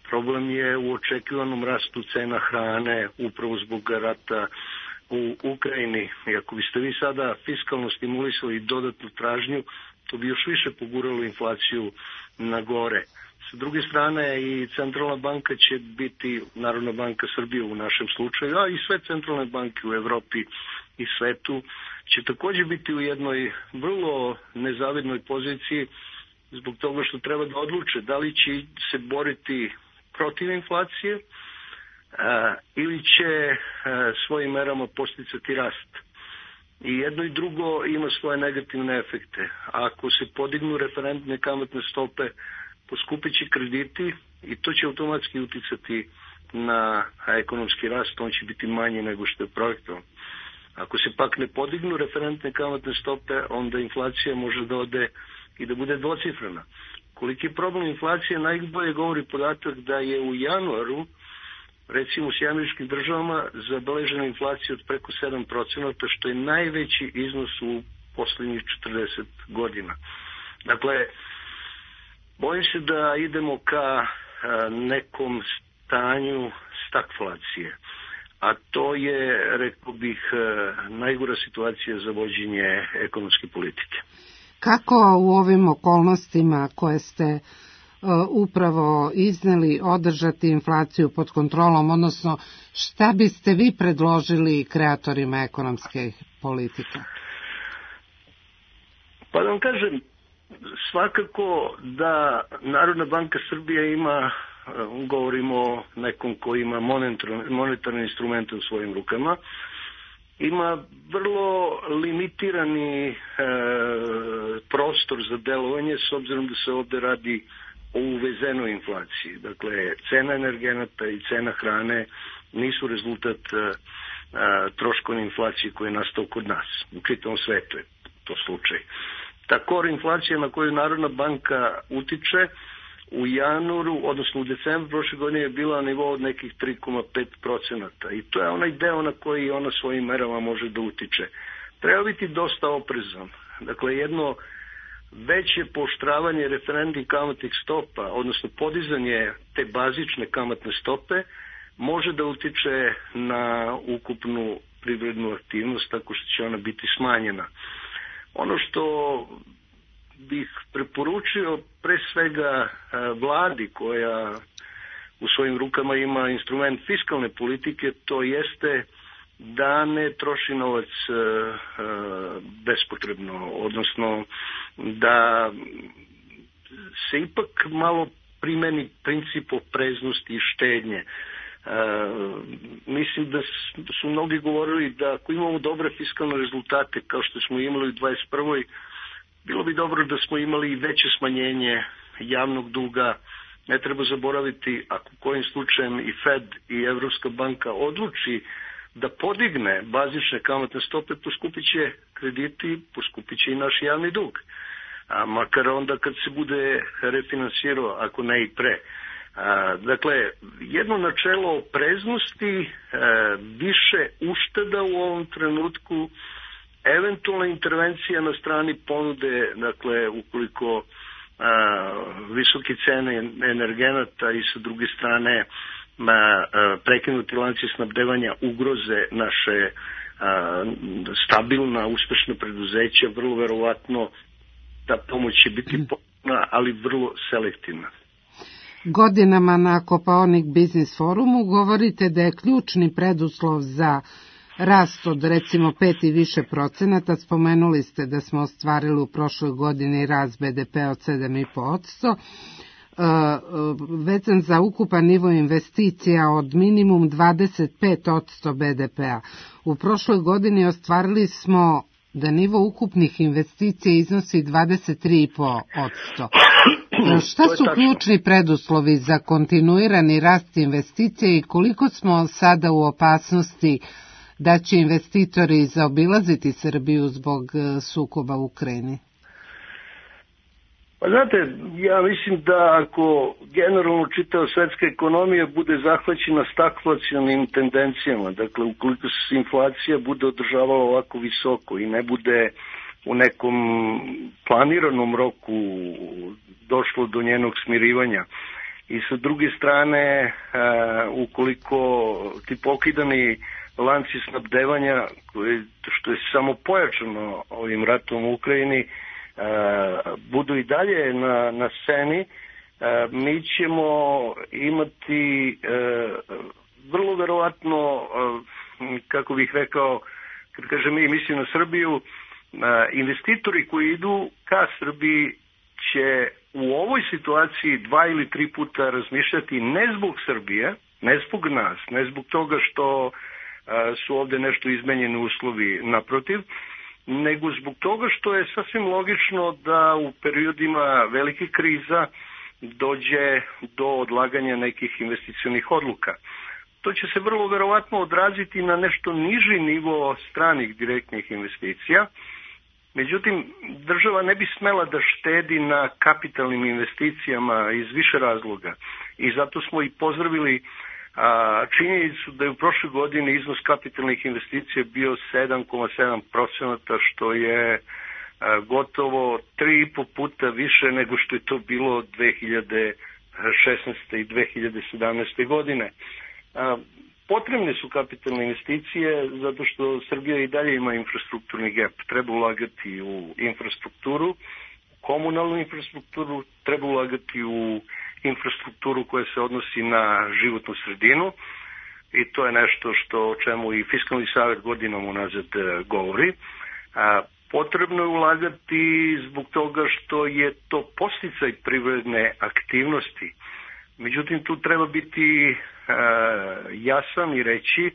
Problem je u očekivanom rastu cena hrane upravo zbog rata u Ukrajini. I ako biste vi sada fiskalno stimulisali dodatnu tražnju, to bi još više poguralo inflaciju na gore. Sa druge strane, i Centralna banka će biti, Narodna banka Srbije u našem slučaju, a i sve centralne banke u Evropi i svetu, će također biti u jednoj vrlo nezavidnoj poziciji zbog toga što treba da odluče da li će se boriti protiv inflacije a, ili će a, svojim merama posticati rast. I jedno i drugo ima svoje negativne efekte. Ako se podignu referentne kamatne stope, poskupit će krediti i to će automatski uticati na ekonomski rast, on će biti manji nego što je projektovan. Ako se pak ne podignu referentne kamatne stope, onda inflacija može da ode i da bude dvocifrena. Koliki je problem inflacije, najbolje govori podatak da je u januaru, recimo u Sjedinjenim Američkim Državama, zabeležena inflacija od preko sedam procenata, što je najveći iznos u posljednjih četrdeset godina. Dakle, bojim se da idemo ka nekom stanju stagflacije. A to je, rekao bih, najgora situacija za vođenje ekonomske politike. Kako u ovim okolnostima koje ste uh, upravo izneli održati inflaciju pod kontrolom, odnosno šta biste vi predložili kreatorima ekonomske politike? Pa da vam kažem, svakako da Narodna banka Srbije ima, govorimo o nekom ko ima monetarne instrumente u svojim rukama, ima vrlo limitirani e, prostor za delovanje, s obzirom da se ovde radi o uvezenoj inflaciji. Dakle, cena energenata i cena hrane nisu rezultat e, troškovne inflacije koja je nastao kod nas. U čitavom svetu je to slučaj. Ta core inflacija na koju Narodna banka utiče u januaru, odnosno u decembru prošle godine je bila na nivou od nekih tri zarez pet procenata i to je onaj deo na koji ona svojim merama može da utiče. Treba biti dosta oprezan. Dakle, jedno veće pooštravanje referentnih kamatnih stopa, odnosno podizanje te bazične kamatne stope, može da utiče na ukupnu privrednu aktivnost tako što će ona biti smanjena. Ono što bih preporučio pre svega vladi koja u svojim rukama ima instrument fiskalne politike, to jeste da ne troši novac bespotrebno, odnosno da se ipak malo primeni princip opreznosti i štednje. Mislim da su mnogi govorili da ako imamo dobre fiskalne rezultate kao što smo imali u dvadeset prvoj bilo bi dobro da smo imali i veće smanjenje javnog duga. Ne treba zaboraviti, ako kojim slučajem i Fed i Evropska banka odluči da podigne bazične kamatne stope, poskupit će krediti, poskupit će i naš javni dug. A makar onda kad se bude refinansirao, ako ne i pre. A, dakle, jedno načelo opreznosti, a, više ušteda u ovom trenutku, eventualna intervencija na strani ponude, dakle, ukoliko a, visoke cene energenata i sa druge strane a, a, prekinuti lanci snabdevanja ugroze naše a, stabilna, uspešna preduzeća, vrlo verovatno ta pomoć će biti potrebna, ali vrlo selektivna. Godinama na Kopaonik Biznis forumu govorite da je ključni preduslov za rast od recimo pet i više procenata. Spomenuli ste da smo ostvarili u prošloj godini rast be de pe od sedam zarez pet posto, vezan za ukupan nivo investicija od minimum dvadeset pet posto be de pe-a. U prošloj godini ostvarili smo da nivo ukupnih investicija iznosi dvadeset tri zarez pet posto. Šta su ključni preduslovi za kontinuirani rast investicija i koliko smo sada u opasnosti da će investitori zaobilaziti Srbiju zbog sukoba u Ukrajini? Pa znate, ja mislim da ako generalno čitava svetska ekonomija bude zahvaćena stagflacionim tendencijama, dakle ukoliko se inflacija bude održavala ovako visoko i ne bude u nekom planiranom roku došlo do njenog smirivanja i sa druge strane ukoliko ti pokidani lanci snabdevanja, što je samo pojačano ovim ratom u Ukrajini, budu i dalje na, na sceni, mi ćemo imati vrlo verovatno, kako bih rekao, kad kažem mi mislim na Srbiju, investitori koji idu ka Srbiji će u ovoj situaciji dva ili tri puta razmišljati ne zbog Srbije, ne zbog nas, ne zbog toga što su ovde nešto izmenjeni uslovi, naprotiv, nego zbog toga što je sasvim logično da u periodima velike kriza dođe do odlaganja nekih investicionih odluka. To će se vrlo verovatno odraziti na nešto niži nivo stranih direktnih investicija. Međutim, država ne bi smela da štedi na kapitalnim investicijama iz više razloga. I zato smo i pozdravili a, činjenicu da je u prošloj godini iznos kapitalnih investicija bio sedam zarez sedam procenata, što je a, gotovo tri i po puta više nego što je to bilo dve hiljade šesnaeste i dve hiljade sedamnaeste godine. A, Potrebne su kapitalne investicije zato što Srbija i dalje ima infrastrukturni gap. Treba ulagati u infrastrukturu, komunalnu infrastrukturu, treba ulagati u infrastrukturu koja se odnosi na životnu sredinu i to je nešto što o čemu i Fiskalni savet godinom unazad govori. A, potrebno je ulagati zbog toga što je to podsticaj privredne aktivnosti. Međutim, tu treba biti e, jasan i reći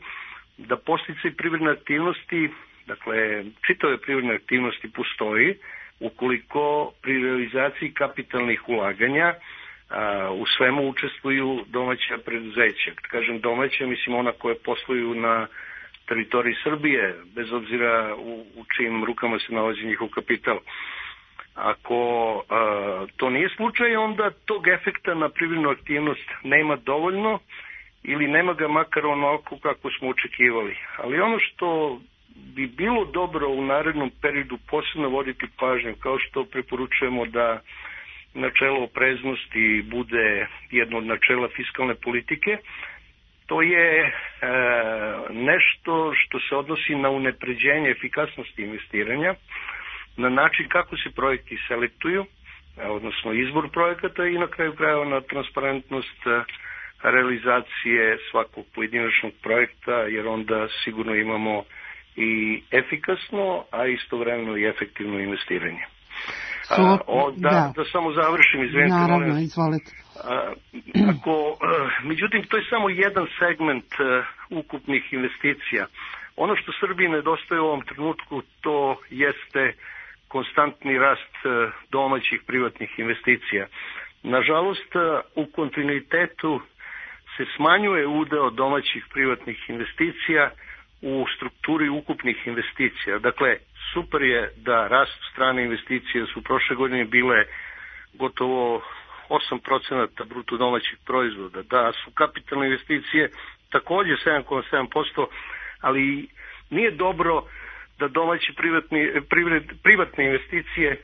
da podsticaj privredne aktivnosti, dakle, čitave privredne aktivnosti postoji ukoliko pri realizaciji kapitalnih ulaganja e, u svemu učestvuju domaća preduzeća. Kad kažem domaća, mislim ona koje posluju na teritoriji Srbije, bez obzira u, u čijim rukama se nalazi njihov kapital. Ako a, to nije slučaj, onda tog efekta na privrednu aktivnost nema dovoljno ili nema ga makar onako kako smo očekivali. Ali ono što bi bilo dobro u narednom periodu posebno voditi pažnju, kao što preporučujemo da načelo opreznosti bude jedno od načela fiskalne politike, to je e, nešto što se odnosi na unapređenje efikasnosti investiranja, na način kako se projekti selektuju, odnosno izbor projekata i na kraju krajeva na transparentnost realizacije svakog pojedinačnog projekta, jer onda sigurno imamo i efikasno, a istovremeno i efektivno investiranje. So, a, o, da, da. da samo završim, izvinite. Naravno, izvolite. A, ako, međutim, to je samo jedan segment uh, ukupnih investicija. Ono što Srbiji nedostaje u ovom trenutku, to jeste konstantni rast uh, domaćih privatnih investicija. Nažalost, uh, u kontinuitetu se smanjuje udeo domaćih privatnih investicija u strukturi ukupnih investicija. Dakle, super je da rast strane investicije su prošle godine bile gotovo osam procenata bruto domaćih proizvoda, da su kapitalne investicije takođe sedam zarez sedam posto, ali nije dobro da domaće privatni, privred, privatne investicije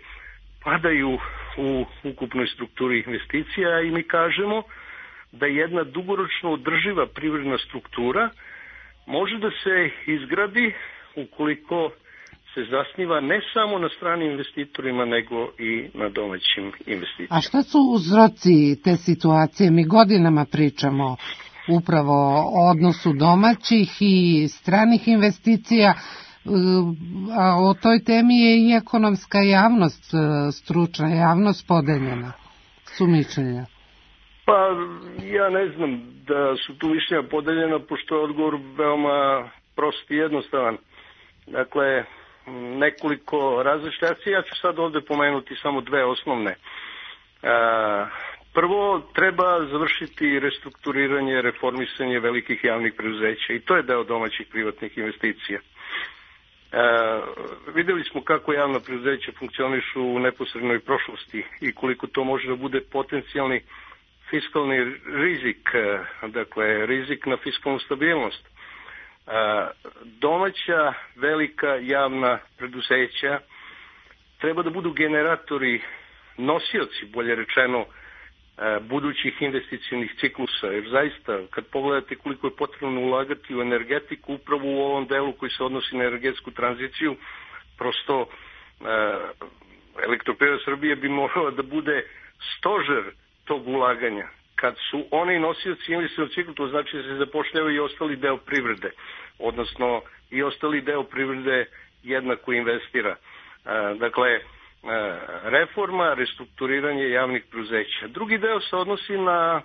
padaju u ukupnoj strukturi investicija i mi kažemo da jedna dugoročno održiva privredna struktura može da se izgradi ukoliko se zasniva ne samo na stranim investitorima, nego i na domaćim investicijama. A šta su uzroci te situacije? Mi godinama pričamo upravo o odnosu domaćih i stranih investicija, a o toj temi je i ekonomska javnost, stručna javnost podeljena. Su mišljenja? Pa ja ne znam da su tu mišljenja podeljena, pošto je odgovor veoma prost i jednostavan. Dakle, nekoliko različitih akcija, ja ću sad ovde pomenuti samo dve osnovne. Prvo, treba završiti restrukturiranje, reformisanje velikih javnih preduzeća i to je deo domaćih privatnih investicija. E, videli smo kako javna preduzeća funkcionišu u neposrednoj prošlosti i koliko to može da bude potencijalni fiskalni rizik, dakle rizik na fiskalnu stabilnost. E, domaća velika javna preduzeća treba da budu generatori, nosioci, bolje rečeno, budućih investicionih ciklusa, jer zaista kad pogledate koliko je potrebno ulagati u energetiku upravo u ovom delu koji se odnosi na energetsku tranziciju, prosto Elektroprivreda Srbije bi morala da bude stožer tog ulaganja. Kad su oni nosioci investicionog ciklusa, to znači da se zapošljava i ostali deo privrede, odnosno i ostali deo privrede jednako investira. Dakle, reforma, restrukturiranje javnih preduzeća. Drugi deo se odnosi na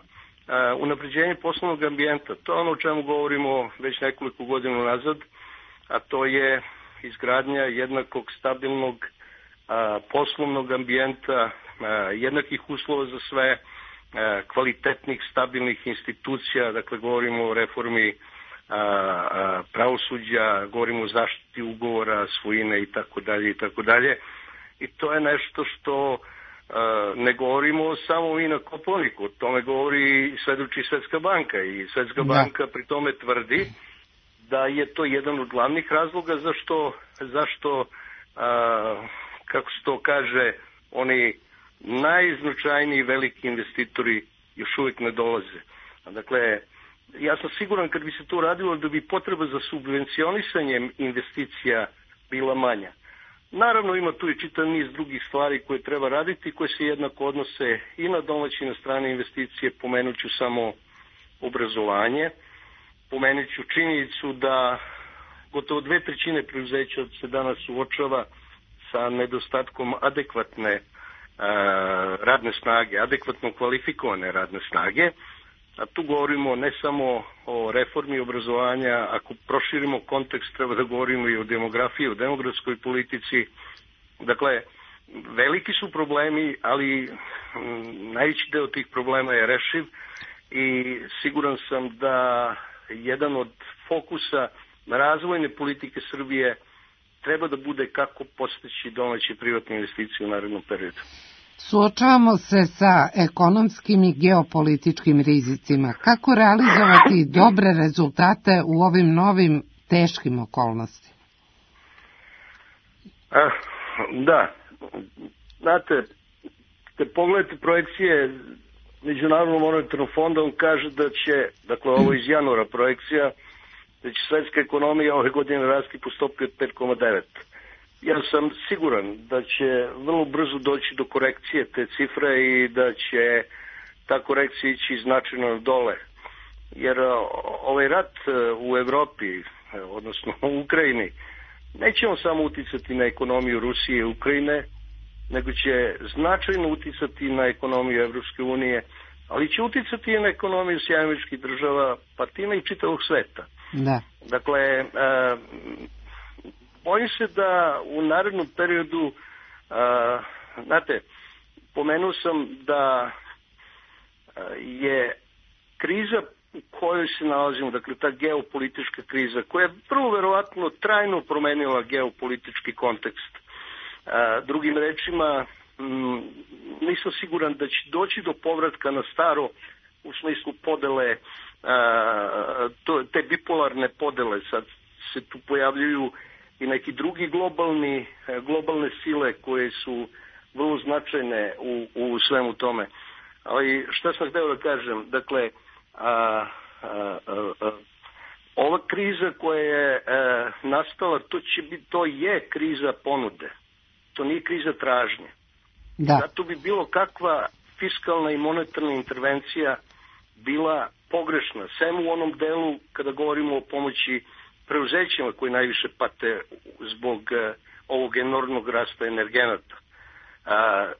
unapređenje poslovnog ambijenta. To je ono o čemu govorimo već nekoliko godina nazad, a to je izgradnja jednakog stabilnog a, poslovnog ambijenta, a, jednakih uslova za sve, a, kvalitetnih, stabilnih institucija, dakle govorimo o reformi a, a, pravosuđa, govorimo o zaštiti ugovora, svojine i tako dalje i tako dalje. I to je nešto što uh, ne govorimo samo mi na Kopaoniku, o tome govori svedoči Svetska banka i Svetska da. banka pri tome tvrdi da je to jedan od glavnih razloga zašto, zašto uh, kako se to kaže, oni najznačajniji veliki investitori još uvijek ne dolaze. Dakle, ja sam siguran kad bi se to radilo da bi potreba za subvencionisanjem investicija bila manja. Naravno ima tu i čitav niz drugih stvari koje treba raditi, koje se jednako odnose i na domaće i na strane investicije. Pomenut ću samo obrazovanje, pomenut ću činjenicu da gotovo dve trećine preduzeća se danas suočava sa nedostatkom adekvatne a, radne snage, adekvatno kvalifikovane radne snage. A tu govorimo ne samo o reformi obrazovanja, ako proširimo kontekst treba da govorimo i o demografiji, o demografskoj politici. Dakle, veliki su problemi, ali m, najveći deo tih problema je rešiv i siguran sam da jedan od fokusa razvojne politike Srbije treba da bude kako postići domaće privatne investicije u narednom periodu. Suočavamo se sa ekonomskim i geopolitičkim rizicima. Kako realizovati dobre rezultate u ovim novim teškim okolnostima? A, da, znate, te pogledajte projekcije Međunarodnog monetarnog fonda, on kaže da će, dakle ovo iz januara projekcija, da će svetska ekonomija ove godine rasti po stopi od pet zarez devet. Ja sam siguran da će vrlo brzo doći do korekcije te cifre i da će ta korekcija ići značajno dole. Jer ovaj rat u Evropi, odnosno u Ukrajini, neće on samo uticati na ekonomiju Rusije i Ukrajine, nego će značajno uticati na ekonomiju Evropske unije, ali će uticati i na ekonomiju Sjedinjenih Američkih Država, pa time i čitavog sveta. Da. Dakle, e, bojim se da u narednom periodu, e, znate, pomenuo sam da je kriza u kojoj se nalazimo, dakle ta geopolitička kriza, koja je vrlo verovatno trajno promenila geopolitički kontekst. A, drugim rečima, m, nisam siguran da će doći do povratka na staro u smislu podele, a, to, te bipolarne podele. Sad se tu pojavljuju i neki drugi globalni, globalne sile koje su vrlo značajne u, u svemu tome. Ali šta sam hteo da kažem, dakle, a, a, a, a, ova kriza koja je a, nastala, to će biti, to je kriza ponude. To nije kriza tražnje. Da. Zato bi bilo kakva fiskalna i monetarna intervencija bila pogrešna. Sem u onom delu kada govorimo o pomoći preuzećima koji najviše pate zbog uh, ovog enormnog rasta energenata. A,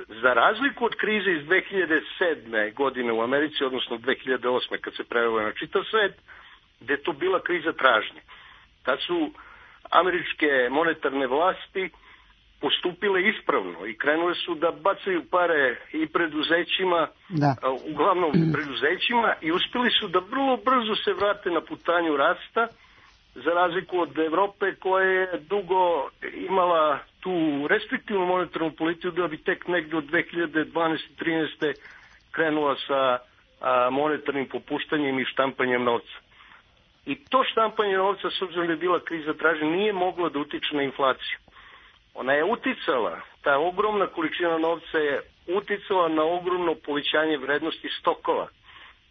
za razliku od krize iz dve hiljade sedme. godine u Americi, odnosno dve hiljade osme. kad se prevelo na čitav svet, gde je to bila kriza tražnje. Tad su američke monetarne vlasti postupile ispravno i krenule su da bacaju pare i preduzećima, da. uglavnom preduzećima, i uspeli su da vrlo brzo se vrate na putanju rasta, za razliku od Evrope koja je dugo imala tu restriktivnu monetarnu politiku, da bi tek negde od dve hiljade dvanaeste. trinaeste. krenula sa a, monetarnim popuštanjem i štampanjem novca. I to štampanje novca, s obzirom da je bila kriza tražnje, nije moglo da utiče na inflaciju. Ona je uticala, ta ogromna količina novca je uticala na ogromno povećanje vrednosti stokova.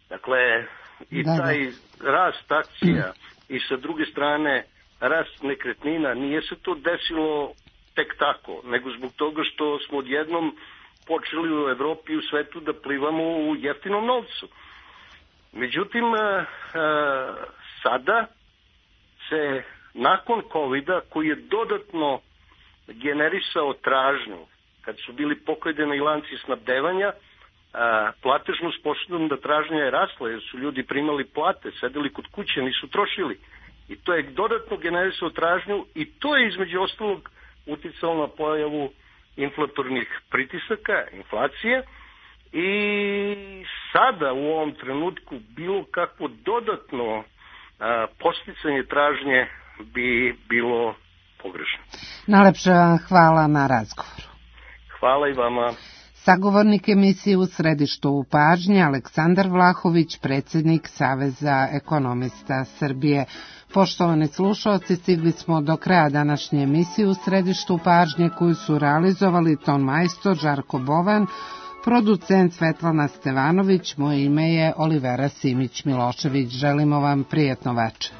Dakle, i da, taj da. rast akcija i sa druge strane rast nekretnina, nije se to desilo tek tako, nego zbog toga što smo odjednom počeli u Evropi i u svetu da plivamo u jeftinom novcu. Međutim, sada se nakon kovida, koji je dodatno generisao tražnju, kad su bili pokradeni lanci snabdevanja, platežnu sposobnost da tražnja je rasla, jer su ljudi primali plate, sedeli kod kuće, nisu trošili. I to je dodatno generisao tražnju i to je između ostalog uticalo na pojavu inflatornih pritisaka, inflacije, i sada u ovom trenutku bilo kakvo dodatno a, posticanje tražnje bi bilo pogrešno. Najlepše vam hvala na razgovoru. Hvala i vama. Sagovornik emisije U središtu pažnje Aleksandar Vlahović, predsjednik Saveza ekonomista Srbije. Poštovani slušalci, stigli smo do kraja današnje emisije U središtu pažnje, koju su realizovali ton majstor Žarko Bovan, producent Svetlana Stevanović, moje ime je Olivera Simić Milošević. Želimo vam prijetno večer.